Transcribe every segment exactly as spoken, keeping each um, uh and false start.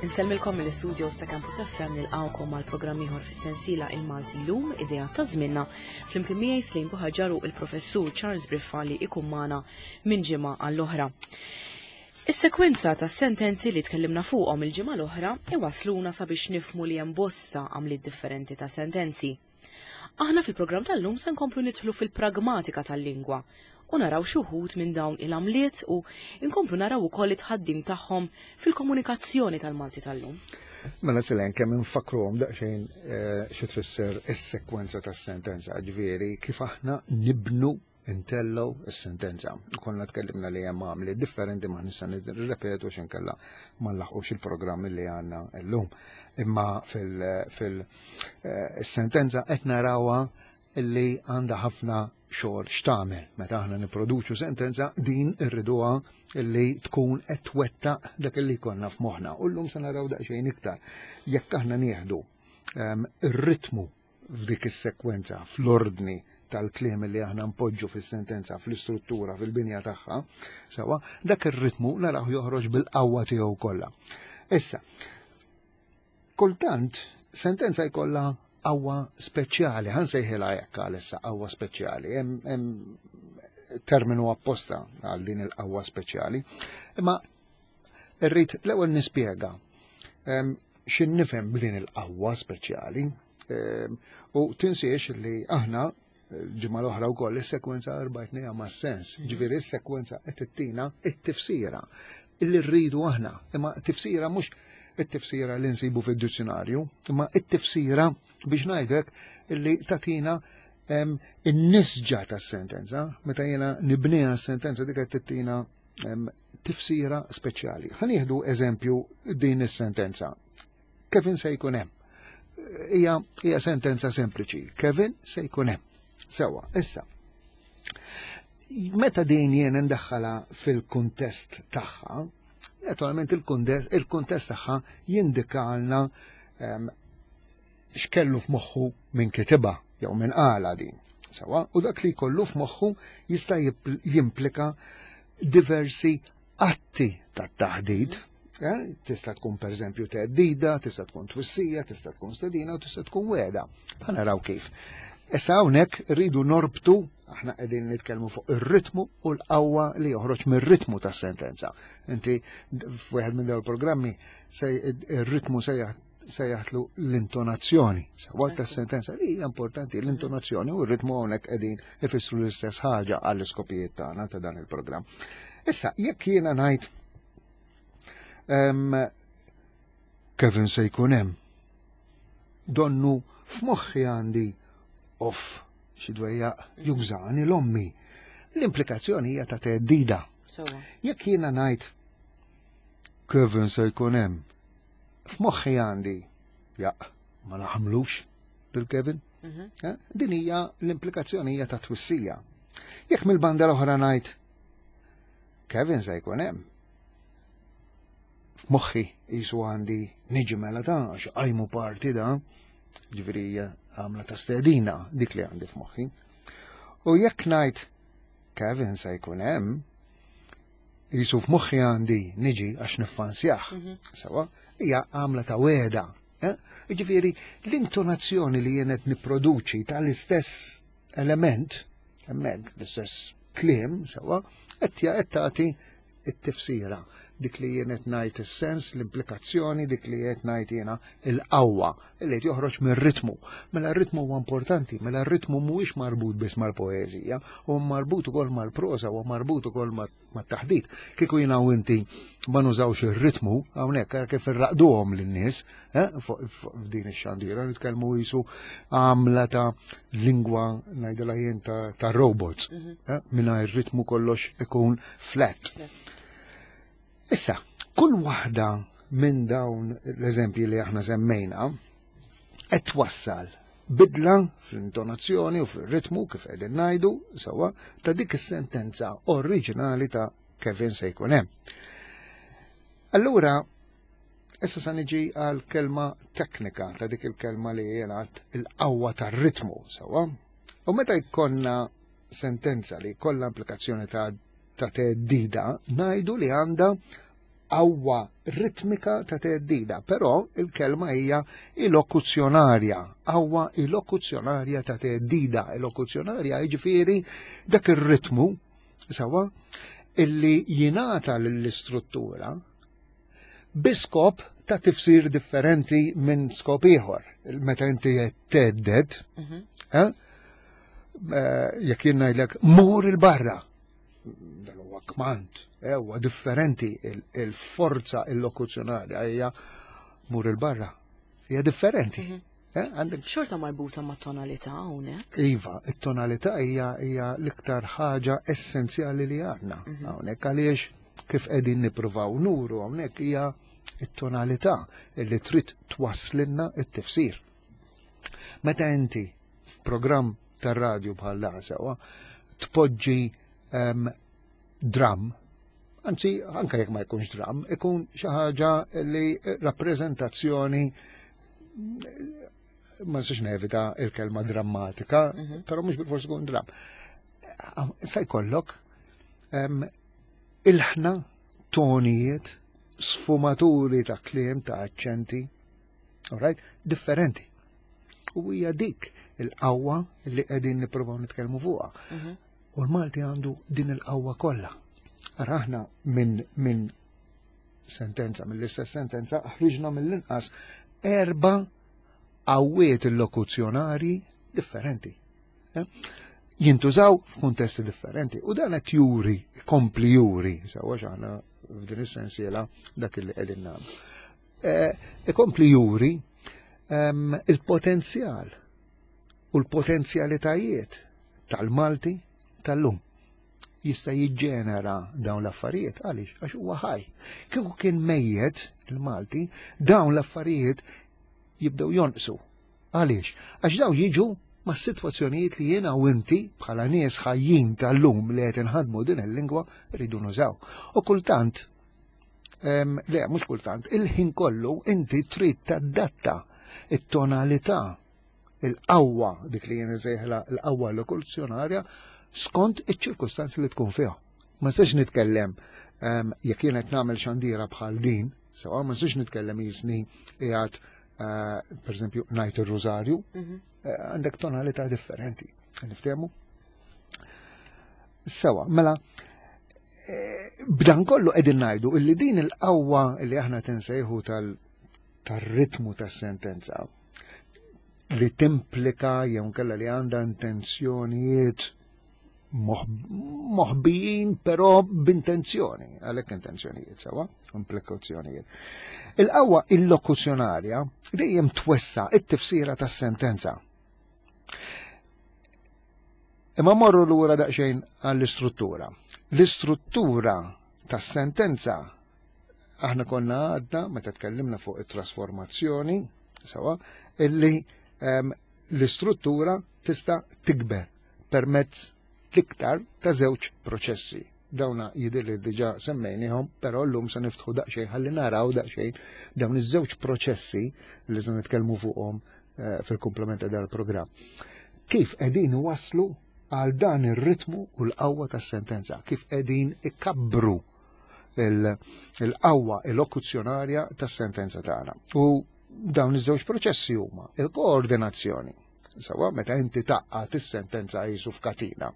Insellmilkom mill-istudio ta' Campus F M, nilqgħukom għal programm ieħor fis-sensiela Il-Malti Llum, idea ta' żmienna, flimkien miegħi Slim Buħaġar u il-professur Charles Briffa li ikun magħna minn ġimgħa għall-oħra. Is-sekwenza ta' sentenzi li tkellimna fuqhom il-ġimgħa l-oħra iwasluna sabiex nifhmu li hemm bosta għamliet differenti ta' sentenzi. Aħna fil-programm tal-lum se nkomplu nidħlu fil-pragmatika tal-lingwa u naraw xi wħud minn dawn il-għamliet u nkomplu naraw ukoll it-tħaddim tagħhom fil-komunikazzjoni tal-Malti tal-lum. Mela Silen, kemm infakruhom daqsxejn eh, xi tfisser is-sekwenza tas-sentenza, ġifieri kif aħna nibnu, intellgħu is-sentenza. Konna tkellimna li hemm għamli differenti, ma nista' nirrepetu x'inkella ma nlaħqux il-programm li għandna llum. Imma fil-sentenza qed narawha illi għandha ħafna xogħol x'tagħmel. Meta aħna nipproduċu sentenza, din irriduha illi tkun qed twettaq dak li konna f'moħħna. U llum se naraw daqsxejn iktar. Jekk aħna nieħdu ehm, ir-ritmu f'dik is-sekwenza, fl-ordni tal-kliem li aħna npoġġu fis-sentenza, fl-istruttura, fil-binja tagħha, sewa, dak ir-ritmu naraw joħroġ bil-qawwa tiegħu kollha. Issa, kultant sentenza jkollha qawwa speċjali, ħa nsejħilha hekk għalissa, qawwa speċjali, hemm terminu apposta għal din il-qawwa speċjali. Imma irrid l-ewwel nispjega x'in nifhem b'din il-qawwa speċjali u tinsiex li aħna ġimgħa l-oħra wkoll is-sekwenza rbatnieha ma' sens, ġifieri is-sekwenza qed tittina it-tifsira illi rridu aħna, imma tifsira mhux it-tifsira li nsibu fid-dizzjonarju, imma it-tifsira, biex ngħidlek, illi tatina in-nisġa tas-sentenza, meta jiena nibniha s-sentenza, dik qed tittina tifsira speċjali. Ħa nieħdu eżempju din is-sentenza. "Kevin se jkun hemm." Hija hija sentenza sempliċi. "Kevin se jkun hemm." Sewa, issa. Meta din jien ndaħħala fil-kuntest tagħha, naturalment il-kuntest tagħha jindikalna x'kellu f'moħħu minn kitibha jew minn qala din. Sewa, u dak li jkollu f'moħħu jista' jimplika diversi atti tat-taħdid. Eh, tista' tkun per eżempju teddida, tista' tkun twissija, tista' tkun stedina u tista' tkun wegħda. Ħa naraw kif. Issa hawnhekk rridu norbtu, aħna qegħdin nitkellmu fuq ir-ritmu u l-qawwa li joħroġ mir-ritmu tas-sentenza. Inti f'wieħed minn dawn il-programmi ir-ritmu sejjaħtlu l-intonazzjoni. Sewa tas-sentenza li hija importanti, l-intonazzjoni u r-ritmu hawnhekk qegħdin ifissru l-istess ħaġa għall-iskopijiet tagħna ta' dan il-programm. Issa, jekk jiena ngħid "Kevin se jkun hemm", donnu f'moħħi għandi "off, xi dwejjaq, jużani l-ommi". L-implikazzjoni hija ta' teddida. Jekk jiena ngħid "Kevin se jkun hemm", f'moħħi għandi "jaq, ma naħmlux lil Kevin". Mhm. Eh? Din hija l-implikazzjoni, hija ta' twissija. Jekk mill-banda l-oħra ngħid "Kevin se jkun hemm", f'moħħi jisu għandi "niġi mela ta' għax għajmu parti da", ġifieri għamla ta' stedina dik li għandi f'moħħi. U jekk ngħid "Kevin se jkun hemm", jisu f'moħħi għandi "niġi għax niffansjah". Mhm. Sewa, hija għamla ta' wegħda. Eh? Ġifieri l-intonazzjoni li jien qed nipproduċi tal-istess element, hemmhekk l-istess kliem, sewa, qed qed tagħti it-tifsira, dik li jien qed ngħid is-sens, l-implikazzjoni, dik li qed ngħid jiena il-qawwa li qed joħroġ mir-ritmu. Mela r-ritmu huwa importanti, mela r-ritmu mhuwiex marbut biss mal-poeżija, huwa marbut ukoll mal-proża, huwa marbut ukoll mat-taħdit. Kieku jiena u inti ma nużawx ir-ritmu, hawnhekk kif irraqduhom lin-nies, eh, fuq din ix-xandira nitkellmu jisu għamla ta' lingwa, ngħidilha jien, ta' robots, mhm. eh, mingħajr ritmu kollox ikun flat. Issa, kull waħda minn dawn l-eżempji li aħna semmejna qed twassal bidla fl-intonazzjoni u fil-ritmu, kif qegħdin ngħidu, sewwa, ta' dik is-sentenza oriġinali ta' "Kevin se jkun hemm". Allura, issa sa niġi għal kelma teknika ta' dik il-kelma li jingħad il-qawwa tar-ritmu, sewwa. U meta jkollna sentenza li jkollha implikazzjoni ta' ta' teddida, ngħidu li għandha Qawwa ritmika ta' teddida, però il-kelma hija illokuzzjonarja, qawwa illokuzzjonarja ta' teddida. Illokuzzjonarja jiġifieri dak ir-ritmu sewwa illi jingħata lill-istruttura bi skop ta' tifsir differenti minn skop ieħor. Meta inti thedded, Mhm. eh, eh, jekk jien ngħidlek mur il-barra, dan huwa kmand, eh, huwa differenti. Il-forza illokuzzjonarja hija mur il-barra. Hija differenti. Mhm. Eh, għandek Xorta marbuta ma' tonalità hawnhekk. Iva, it-tonalità hija hija l-iktar ħaġa essenzjali li għandna Mhm. hawnhekk, għaliex kif qegħdin nippruvaw nuru hawnhekk hija it-tonalità li trid twasslilna it-tifsir. Meta inti f'programm tar-radju bħal dan sewwa tpoġġi em, dram, anzi anke jekk ma jkunx dram, ikun xi ħaġa li rappreżentazzjoni, ma nistax nevita il-kelma drammatika, Mhm. però mhux bil-fors ikun dram. Sa jkollok em, ilħna, tonijiet, sfumaturi ta' kliem, ta' aċċenti, alright, differenti. U hija dik il-qawwa li qegħdin nippruvaw nitkellmu fuqha. Mhm. U l-Malti għandu din il-qawwa kollha. Ara aħna minn min sentenza, mill-istess sentenza, ħriġna mill-inqas erba' qawwiet illokuzzjonari differenti. Eh? Jintużaw f'kuntesti differenti. U dan qed juri, kompli juri, sewwa, aħna f'din is-sensiela dak li qegħdin nagħmlu. Eh, ikompli juri em, il-potenzjal u l-potenzjalitajiet tal-Malti tal-lum. Jista' jiġġenera dawn l-affarijiet. Għaliex? Għax huwa ħaj. Kieku kien mejjet il-Malti, dawn l-affarijiet jibdew jonqsu. Għaliex? Għax dawn jiġu ma' sitwazzjonijiet li jiena u inti bħala nies ħajjin tal-lum li qed inħadmu din il-lingwa rridu nużaw. U kultant, em, le, mhux kultant, il-ħin kollu inti trid tadatta it-tonalità, il-qawwa, dik li jien insejħilha l-qawwa lokuzzjonarja, skont iċ-ċirkustanzi li tkun fiha. Ma nistax nitkellem em, jekk jien qed nagħmel xandira bħal din, sewwa, ma nistax nitkellem jisni qiegħed eh, per eżempju ngħid ir-rużarju, Mhm. eh, għandek tonalità differenti. Niftehmu? Sewwa, mela, eh, b'dan kollu qegħdin ngħidu illi din il-qawwa li aħna tinsejħu tal tar-ritmu tas-sentenza li timplika jew nkella li għandha intenzjonijiet moħbijin però b'intenzjoni, għalhekk intenzjonijiet sewwa, implikazzjonijiet. Il-qawwa illokuzzjonarja dejjem twessa it-tifsira tas-sentenza. Imma morru lura daqsxejn għall-istruttura. L-istruttura tas-sentenza aħna konna għadna meta tkellimna fuq it-trasformazzjoni, sewwa, illi um, l-istruttura tista' tikber permezz l-iktar ta' żewġ proċessi. Dawna jidher li diġà semmejnihom, però llum se niftħu daqsxejn ħalli naraw daqsxejn dawn iż-żewġ proċessi li se nitkellmu fuqhom uh, fil-komplement ta' dal-programm. Kif qegħdin waslu għal dan ir-ritmu u l-qawwa tas-sentenza, kif qegħdin ikabbru il-qawwa illokuzzjonarja tas-sentenza tagħna. U dawn iż-żewġ proċessi huma il-koordinazzjoni, sewwa, meta inti tgħaqqad is-sentenza jisu f'katina.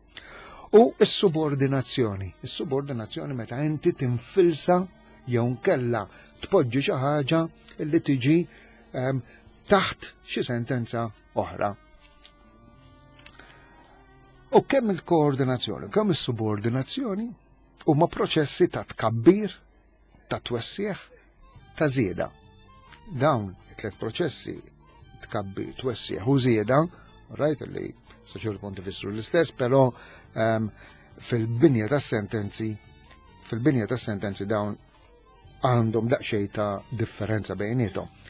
U s-subordinazzjoni. Is-subordinazzjoni meta inti tinfilsa jew nkella tpoġġi xi ħaġa li tiġi um, taħt xi sentenza oħra. U kemm il-koordinazzjoni, kemm is-subordinazzjoni huma proċessi ta' tkabbir, ta' twessieħ, ta' żieda. Dawn it-tliet proċessi, tkabbir, twessieħ u żieda, right, li sa ċertu punt ifissru l-istess, però um, fil-binja ta' sentenzi, fil-binja ta' sentenzi dawn għandhom daqsxejn ta' differenza bejniethom.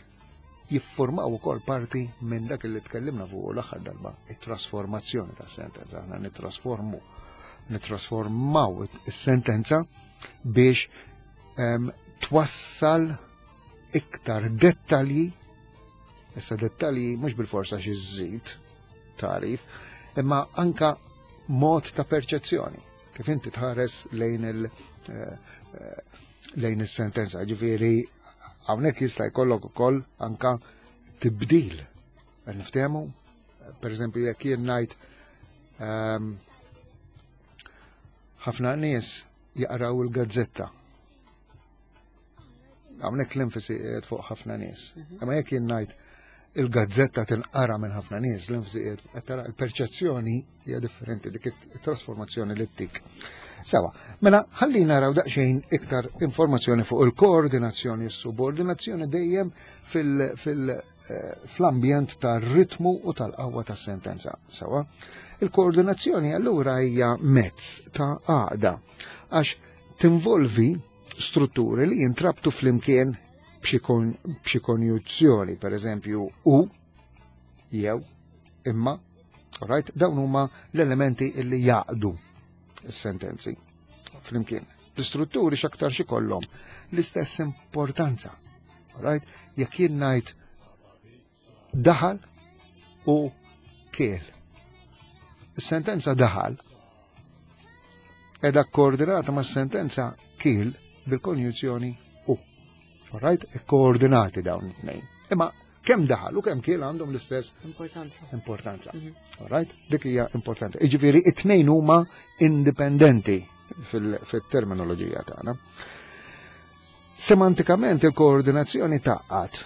Jiffurmaw ukoll parti minn dak li tkellimna fuq l-aħħar darba, it-trasformazzjoni ta' sentenza. Aħna nittrasformu, nittrasformaw is-sentenza biex um, twassal iktar dettalji. Issa dettalji mhux bil-forsa xi żżid tarif, imma anka mod ta' perċezzjoni. Kif inti tħares lejn il- eh, eh, lejn is-sentenza, ġifieri hawnhekk jista' jkollok ukoll anka tibdil. Niftehmu, per eżempju, jekk jien ngħid ehm, ħafna nies jaqraw il-gazzetta. Hawnhekk l-enfasi qiegħed fuq ħafna nies. Imma jekk jien ngħid il-gazzetta tinqara minn ħafna nies, l-enfasi qiegħed qed tara l-perċezzjoni hija differenti dik it-trasformazzjoni li ttik. Sewa, mela ħalli naraw daqsxejn iktar informazzjoni fuq il-koordinazzjoni u s-subordinazzjoni dejjem fil- fil- eh, fl-ambjent tar-ritmu u tal-qawwa tas-sentenza. Sewa, il-koordinazzjoni allura hija mezz ta' għaqda għax tinvolvi strutturi li jintrabtu flimkien b'xi kon- b'xi konjuzzjoni, per eżempju, u, jew, imma, alright, dawn huma l-elementi illi jaqdu s-sentenzi flimkien. L-istrutturi x'aktar xi kollhom l-istess importanza. Alright? Jekk jien ngħid daħal u kiel. Is-sentenza daħal edha koordinata ma' sentenza kiel bil-konjuzzjoni u. Alright? Koordinati dawn it-tnejn. Imma kemm daħal u kemm kiel għandhom l-istess Importanza. importanza. Mhm. Alright? Dik hija importanti. Jiġifieri it-tnejn huma indipendenti fil- fil-terminoloġija tagħna. Semantikament il-koordinazzjoni tgħaqqad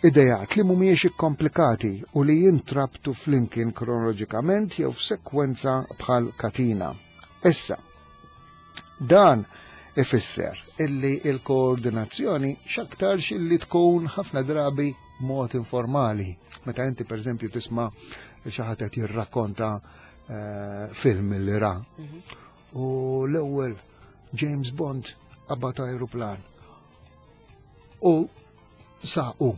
idejat li mhumiex ikkomplikati u li jintrabtu flimkien kronoloġikament jew f'sekwenza bħal katina. Issa, dan ifisser illi il-koordinazzjoni x'aktarx illi tkun ħafna drabi mod informali. Meta inti per eżempju tisma' xi ħadd qed jirrakkonta eh, film li ra. U l-ewwel James Bond qabad aeroplan. U saqu.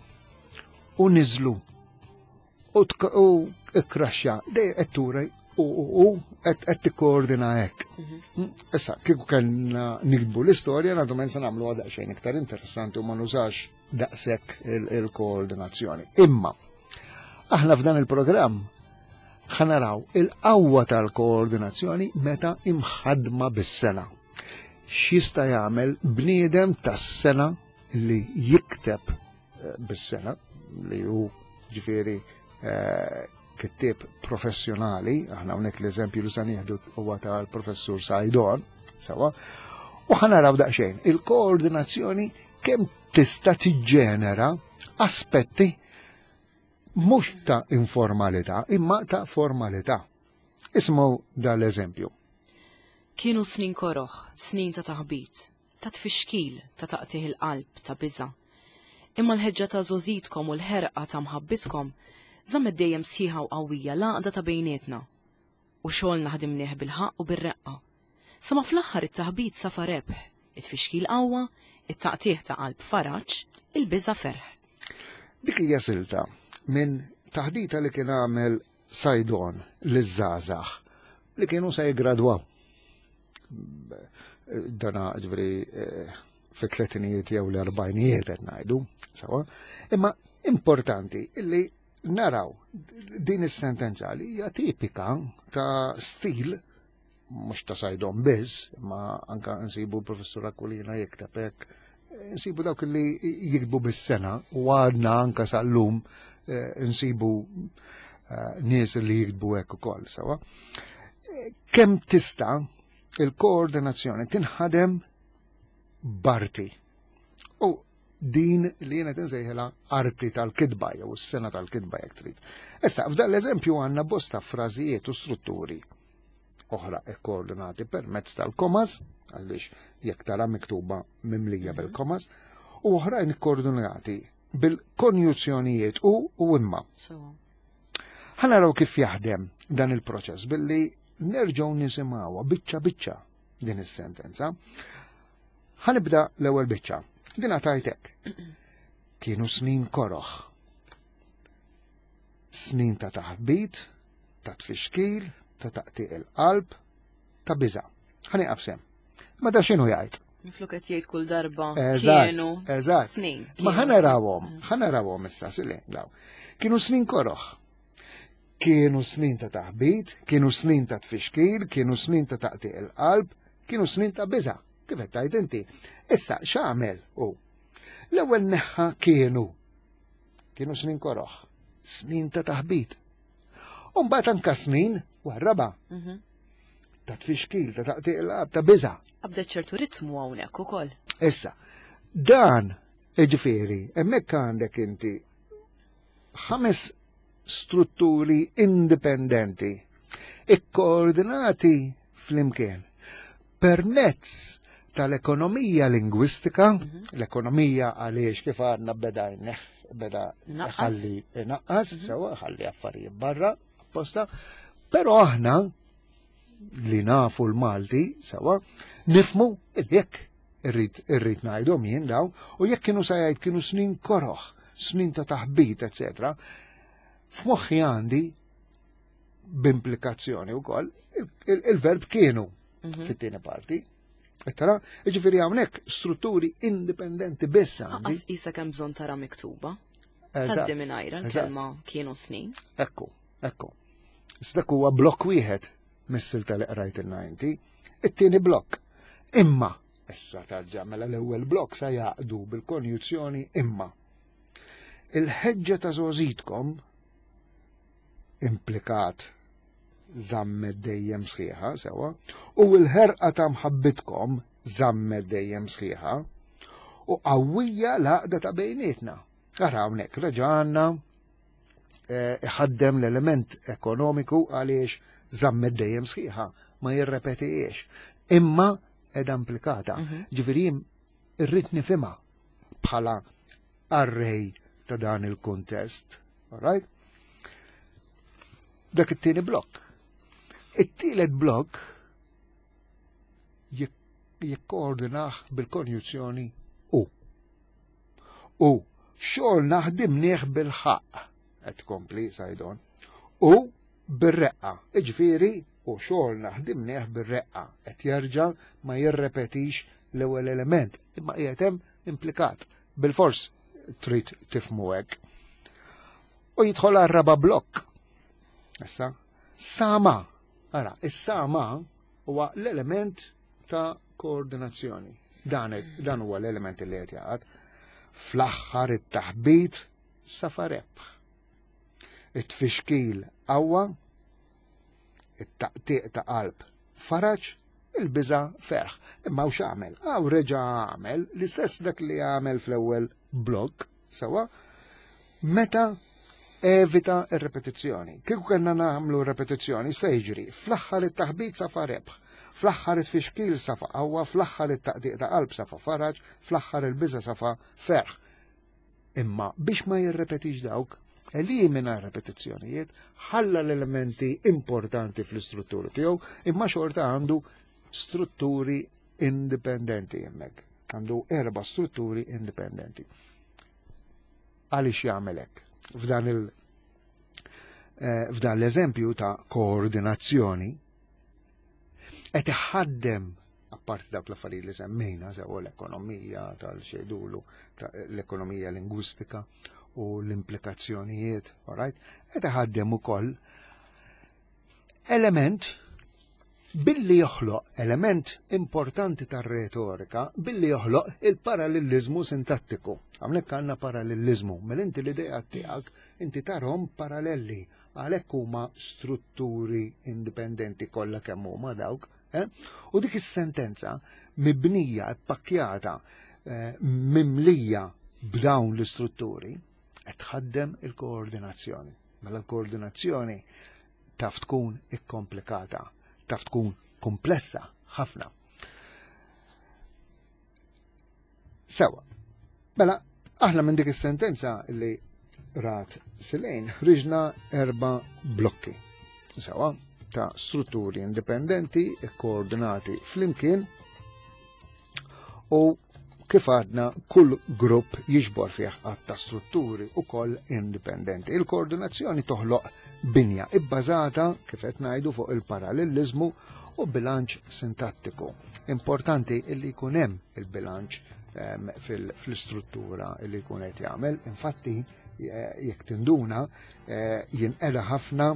U niżlu. U tk- u ikkraxxa. Dej qed turi u u u qed qed tikkoordina hekk. Mm, Issa, kieku kellna nikdbu l-istorja, naturalment se nagħmlu daqsxejn iktar interessanti u ma nużax daqshekk il- il-koordinazzjoni. Imma, aħna f'dan il-programm ħa naraw il-qawwa tal-koordinazzjoni meta imħadma bis-sengħa. X'jista' jagħmel bniedem tas-sengħa li jikteb eh, bis-sengħa li hu ġifieri eh, kittieb professjonali, aħna hawnhekk l-eżempju li se nieħdu huwa tal-professur Saydon, sewa, u ħa naraw daqsxejn il-koordinazzjoni kemm tista' tiġġenera aspetti mhux ta' informalità, imma ta' formalità. Ismu dal-eżempju. Kienu snin koroħ, snin ta' taħbit, ta' tfixkil, ta' taqtigħ il-qalb, ta' biża. Imma l-ħeġġa ta' żgħożitkom u l-ħerqa ta' mħabbitkom żammet dejjem sħiħa u qawwija l-għaqda ta' bejnietna. U xogħolna ħdimnieh bil-ħaqq u bir-reqqa. Sa ma fl-aħħar it-taħbit safa rebħ, it-tfixkil qawwa, it-taqtigħ ta' qalb faraġ, il-biża ferħ. Dik hija silta minn taħdita li kien għamel Saydon liż-żgħażagħ li kienu se jigradwaw. Dana ġifieri eh, fit-tletinijiet jew l-erbajnijiet qed ngħidu, sewa. Imma importanti illi naraw din is-sentenza li hija tipika ta' stil mhux ta' Saydon biss, ma anka nsibu l-professur Aquilina jikteb hekk, nsibu dawk li jiktbu bis-sengħa u għadna anka sal-lum eh, nsibu eh, nies li jiktbu hekk ukoll sewa. Eh, Kemm tista' il-koordinazzjoni tinħadem b'arti. U din li jiena nsejħilha arti tal-kitba jew is-sengħa tal-kitba jekk trid. Issa, f'dan l-eżempju għandna bosta frażijiet u strutturi oħra koordinati permezz tal-komas, għaliex jekk tara miktuba mimlija mhm. bil-komas, u oħrajn koordinati bil-konjuzzjonijiet u u imma. Ħa naraw kif jaħdem dan il-proċess billi nerġgħu nisimgħuha biċċa biċċa din is-sentenza. Ħa nibda l-ewwel biċċa. Din tajtek. Kienu snin koroħ. Snin ta' taħbit, ta' tfixkil, ta' taqtiq il-qalb, ta' biża. Ħa nieqaf s'hemm. Ma da x'inhu jgħid? Minflok qed jgħid kull darba kienu eżatt. Snin. Ma ħa narawhom, ħa narawhom issa sili, law. Kienu snin koroħ. Kienu snin ta' taħbit, kienu snin ta' tfixkil, kienu snin ta' taqtiq il-qalb, kienu snin ta' biża. Kif qed tgħid inti? Issa x'għamel hu? L-ewwel neħħa kienu. Kienu snin koroħ, snin ta' taħbit. U mbagħad anka snin warraba. Mhm. Ta' tfixkil, ta' taqtiq il-qalb, ta' biża'. Qabdet ċertu ritmu hawnhekk ukoll. Issa, dan ġifieri, hemmhekk għandek inti ħames strutturi indipendenti, ikkoordinati flimkien permezz tal-ekonomija lingwistika, Mhm. l-ekonomija għaliex kif għadna beda jneħ, beda Naqqas. ħalli naqqas, Mhm. sewa ħalli affarijiet barra, apposta, però aħna li nafu l-Malti, sewa, nifmu jekk irrid irrid ngħidhom jien daw, u jekk kienu sa jgħid kienu snin koroħ, snin ta' taħbit, eċetera. F'moħħi għandi b'implikazzjoni wkoll il-verb kienu Mhm. fit-tieni parti. Tara, ġifieri hawnhekk strutturi indipendenti biss għandi. Aqas isa kemm bżonn tara miktuba. Eżatt. Taddi mingħajra l-kelma kienu snin. Ekku, ekku. Dak huwa blokk wieħed mis-silta li qrajt il-ninety. It-tieni blokk. Imma, issa tarġa' mela l-ewwel blokk sa jaqdu bil-konjuzzjoni imma. Il-ħeġġa ta' żgħożitkom implikat żammet dejjem sħiħa, sewa, u l-ħerqa ta' mħabbitkom żammet dejjem sħiħa, u qawwija l-għaqda ta' bejnietna. Ara hawnhekk reġa' għandna eh, iħaddem l-element ekonomiku għaliex żammet dejjem sħiħa, ma jirrepetijiex. Imma edha implikata. Mhm. Ġifieri jien irrid nifhimha bħala arrej ta' dan il-kuntest. All right? Dak it-tieni blokk. It-tielet blokk jik- jikkoordinah bil-konjuzzjoni u. U xogħol naħdimnieh bil-ħaqq, qed tkompli Saydon, u bir-reqqa. Iġifieri u xogħol naħdimnieh bir-reqqa qed jerġa' ma jirrepetix l-ewwel element, imma qiegħed hemm implikat. Bil-fors trid tifhmu hekk. U jidħol għar-raba' blokk. Issa, sama. Ara, is-sama huwa l-element ta' koordinazzjoni. Dan, dan huwa l-element li qed jaqgħad. Fl-aħħar it-taħbit safa rebħ. It-tfixkil qawwa, it-taqtiq ta' qalb faraġ, il-biża ferħ. Imma u x'għamel? Għaw reġa' għamel l-istess dak li għamel fl-ewwel blokk, sewa, meta evita ir-repetizzjoni. Kieku kellna nagħmlu repetizzjoni, se jiġri fl-aħħar it-taħbit safa rebħ, fl-aħħar it-tfixkil safa qawwa, fl-aħħar it-taqtiq ta' qalb safa faraġ, fl-aħħar il-biża safa ferħ. Imma biex ma jirrepetix dawk, elimina repetizzjonijiet, ħalla l-elementi importanti fl-istrutturi tiegħu, imma xorta għandu strutturi indipendenti hemmhekk. Għandu erba' strutturi indipendenti. Għaliex jagħmel hekk? F'dan il eh, f'dan l-eżempju ta' koordinazzjoni qed iħaddem apparti dawk l-affarijiet li semmejna sew l-ekonomija tal-xejdulu, l-ekonomija lingwistika u l-implikazzjonijiet, all right? Qed iħaddem ukoll element billi joħloq element importanti tar-retorika, billi joħloq il-parallelizmu sintattiku. Hawnhekk għandna parallelizmu, mela inti l-idea tiegħek inti tarhom paralleli għalhekk huma strutturi indipendenti kollha kemm huma dawk, eh? U dik is-sentenza mibnija, ippakkjata, eh, mimlija b'dawn l-istrutturi qed tħaddem il-koordinazzjoni. Mela l-koordinazzjoni taf tkun ikkomplikata, taf tkun komplessa ħafna. Sewa, mela aħna minn dik is-sentenza li rat Silejn ħriġna erba' blokki. Sewa, ta' strutturi indipendenti koordinati flimkien u kif għadna kull grupp jiġbor fih għadd ta' strutturi u koll indipendenti. Il-koordinazzjoni toħloq binja ibbażata kif qed ngħidu fuq il-parallelizmu u bilanċ sintattiku. Importanti illi jkun hemm il-bilanċ, ehm, fil-, fl-istruttura illi jkun qed jagħmel. Infatti, eh, jekk tinduna, eh, jinqeda ħafna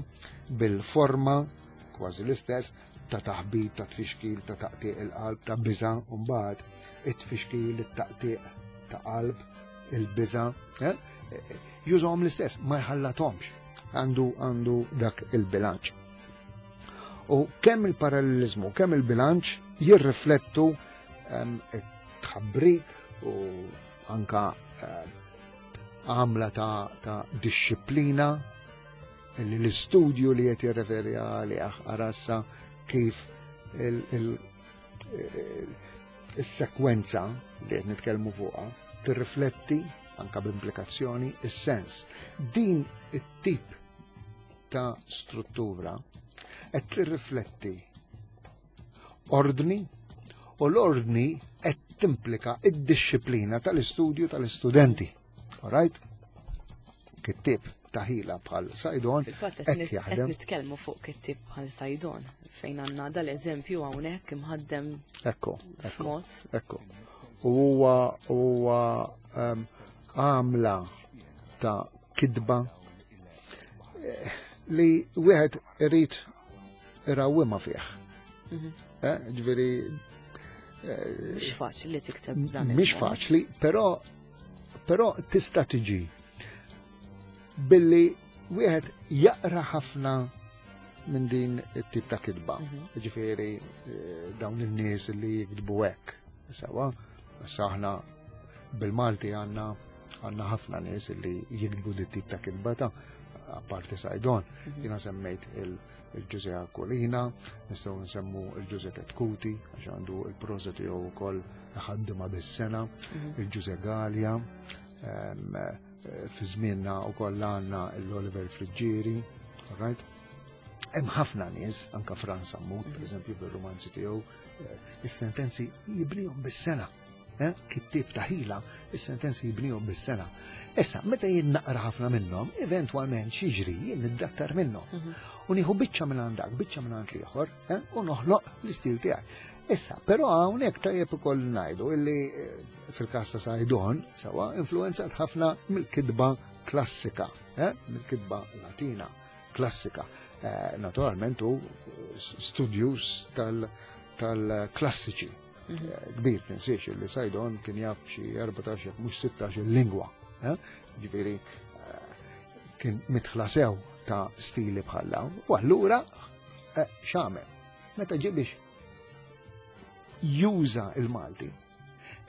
bil-forma kważi l-istess ta' taħbit, ta' tfixkil, ta' taqtiq il-qalb, ta' biża', u mbagħad it-tfixkil, it-taqtiq ta' qalb, il-biża', eh? Jużahom l-istess, ma jħallathomx. Għandu għandu dak il-bilanċ. U kemm il-parallelizmu, kemm il-bilanċ jirriflettu ehm, it-tħabbrik u anka ehm, għamla ta', ta' disċiplina li l-istudju li qed jirreferi għalih arassa kif il-sekwenza li qed nitkellmu fuqha tirrifletti anka b'implikazzjoni is-sens. Din it-tip ta' struttura qed tirrifletti ordni u l-ordni qed timplika id-disciplina tal-istudju tal-istudenti. All right? Kittib ta' ħila bħal Saydon Fil-fatt hekk qed jaħdem. nitkellmu fuq kittib bħal Saydon fejn għandna dal-eżempju hawnhekk imħaddem Ekku, ekku. f'mod Ekku. U huwa huwa em, għamla ta' kidba eh, li wieħed irid irawwimha fih. Mhm. Eh, Ġifieri Mhux faċli li tikteb b'dan mhix il-mod. faċli, però però tista' tiġi billi wieħed jaqra ħafna minn din it-tip ta' kitba. Mhm. Ġifieri eh, dawn in-nies li jiktbu hekk. Sewa, issa aħna bil-Malti għandna għandna ħafna nies li jiktbu dit tip ta' kitba ta' apparti Saydon. Mhm. Jiena semmejt il- il-Ġuże Aquilina, nistgħu nsemmu il-Ġuże Chetcuti, għax għandu il-proża tiegħu wkoll ħaddima bis-sena, Mhm. il-Ġuże Galea, em, eh, fi żmienna wkoll għandna l-Oliver Friggieri, all right? Hemm ħafna nies, anka Frans Sammut, per eżempju, fir-romanzi tiegħu, eh, is-sentenzi jibnihom bis-sena. Eh? Kittib ta' ħila, is-sentenzi jibnihom bis-sena. Issa, meta jien naqra ħafna minnhom, eventwalment x'jiġri jien niddattar minnhom. Mhm. U nieħu biċċa minn għandak, biċċa minn għand l-ieħor, eh? u noħloq l-istil tiegħi. Issa, però hawnhekk tajjeb ukoll ngħidu illi eh, fil-każ ta' Saydon sewa influenzat ħafna mill-kitba klassika, eh? mill-kitba latina klassika. Eh, naturalment hu studjus tal-klassiċi. Mhm. Eh, Kbir tinsiex li Saydon kien jaf xi erbatax jekk mhux sittax il-lingwa. eh? Ġifieri eh, kien midħla sew ta' stili bħal dawn. U allura eh, x'għamel? Meta ġie biex juża il-Malti,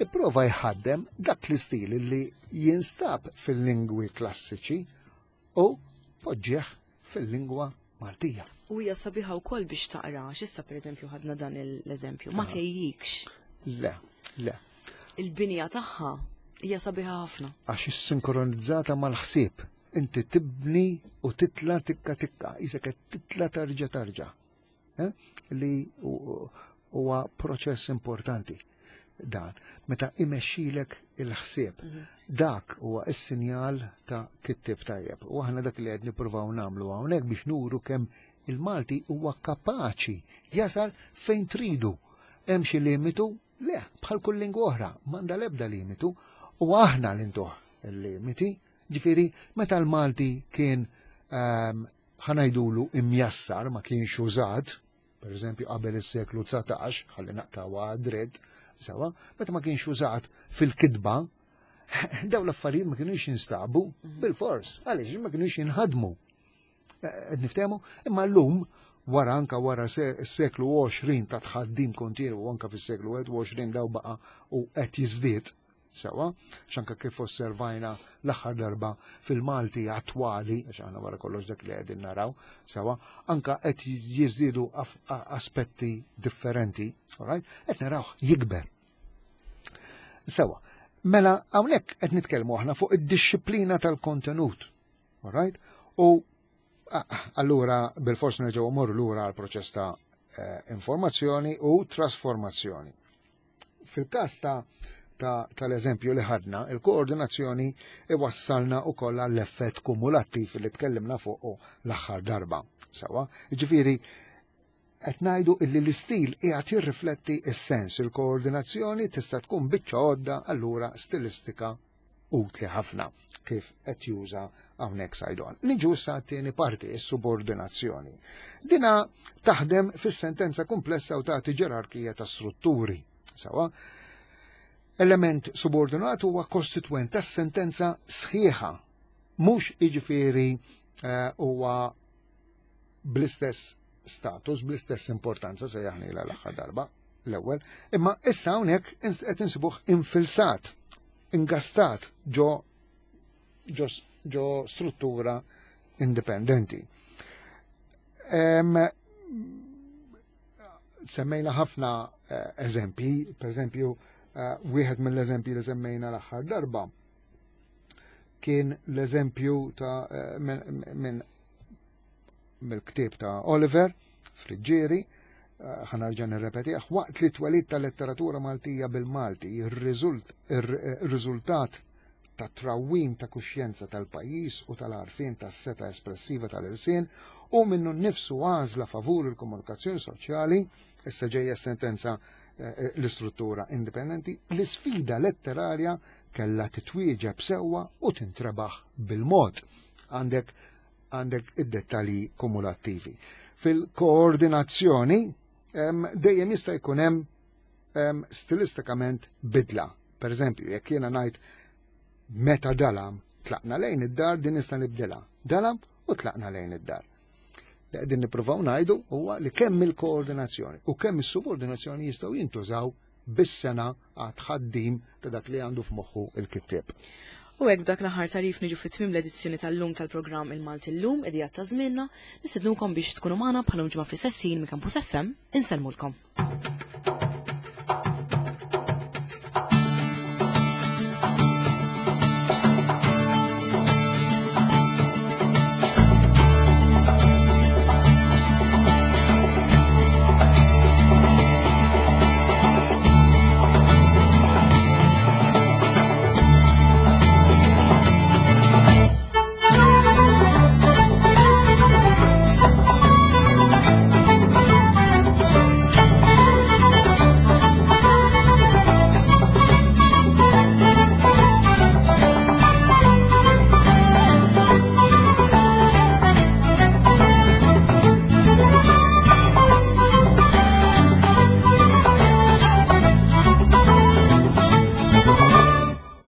ipprova jħaddem dak l-istil li jinstab fil-lingwi klassiċi u poġġieħ fil-lingwa Maltija. U hija sabiħa wkoll biex taqra, għax issa pereżempju ħadna dan l-eżempju, ma Aha. tgħejjikx. Le, le, Il-binja tagħha hija sabiħa ħafna. għax is-sinkronizzata mal-ħsieb. Inti tibni u titla tikka tikka, isek qed titla tarġa tarġa. Eh? Li hu- huwa proċess importanti dan. Meta imexxilek il-ħsieb. Dak huwa is-sinjal ta' kittib tajjeb. U aħna dak li qed nippruvaw nagħmlu hawnhekk biex nuru kemm il-Malti huwa kapaċi jasal fejn tridu. Hemm xi limitu? Le, bħal kull lingwa oħra, m'għandha l-ebda limitu u aħna li ntuh il-limiti. Ġifieri, meta l-Malti kien ehm, ħa ngħidulu imjassar ma kienx użat, per eżempju qabel is-seklu dsatax, ħalli naqtgħuha dritt, sewa, meta ma kienx użat fil-kitba, daw l-affarijiet ma kienux jinstabu bil-fors, għaliex ma kienux jinħadmu. Qed niftehmu, imma llum wara anka wara s-seklu għoxrin ta' tħaddim kontinwu anka fis-seklu wieħed u għoxrin daw baqa u qed jiżdied sewa, x'anka kif osservajna l-aħħar darba fil-Malti attwali, għax aħna wara kollox dak li qegħdin naraw, sewa, anka qed jiżdiedu aspetti differenti, all right? Qed naraw jikber. Sewa, mela hawnhekk qed nitkellmu aħna fuq id-disciplina tal-kontenut, all right? U allura bil-fors nerġgħu mmorru lura għal proċess ta' eh, informazzjoni u trasformazzjoni. Fil-każ ta' tal-eżempju li ħadna, il-koordinazzjoni iwassalna u kolla l-effett kumulattiv li tkellimna fuq l-aħħar darba. Sewa, ġifieri, qed ngħidu illi l-istil qiegħed jirrifletti s-sens, il-koordinazzjoni tista' tkun biċċa għodda allura stilistika utli ħafna kif qed juża hawnhekk Saydon. Niġu sa t-tieni parti, is-subordinazzjoni. Dina taħdem fis-sentenza komplessa u tagħti ġerarkija ta' strutturi. Sawa? Element subordinat huwa kostitwent tas-sentenza sħiħa, mhux jiġifieri eh, huwa bl-istess status, bl-istess importanza se jaħnila l-aħħar darba l-ewwel, imma issa hawnhekk qed insibuh infilsat, ingastat ġo ġo, ġo struttura indipendenti. Em, semmejna ħafna eh, eżempji, per eżempju, eh, wieħed mill-eżempji li semmejna l-aħħar darba kien l-eżempju ta' eh, minn min, mill-ktieb ta' Oliver Friggieri, ħa nerġa' nirrepetih, waqt li twelid ta' letteratura Maltija bil-Malti, ir-riżultat ta' trawwim ta' kuxjenza tal-pajjiż u tal-għarfien tas-seta espressiva tal-irsien u minnu nnifsu għażla favur il-komunikazzjoni soċjali, issa ġejja sentenza eh, l-istruttura indipendenti, l-isfida letterarja kella titwieġeb sewwa u tintrebaħ bil-mod. Għandek għandek id-dettalji kumulattivi. Fil-koordinazzjoni dejjem jista' jkun hemm stilistikament bidla. Per eżempju, jekk jiena ngħid meta dalam tlaqna lejn id-dar din nista' nibdilha. Dalam u tlaqna lejn id-dar. Li qegħdin nippruvaw ngħidu huwa li kemm il-koordinazzjoni u kemm is-subordinazzjoni jistgħu jintużaw bis-sena għat ħaddim ta' dak li għandu f'moħħu il-kittieb. U hekk b'dak l-aħħar tagħrif niġu fit-tmiem l-edizzjoni tal-lum tal-programm Il-Malti Llum, idea ta' żmienna, nistednukom biex tkunu magħna bħal ġimgħa fl-istess ħin minn Campus F M, insellmulkom.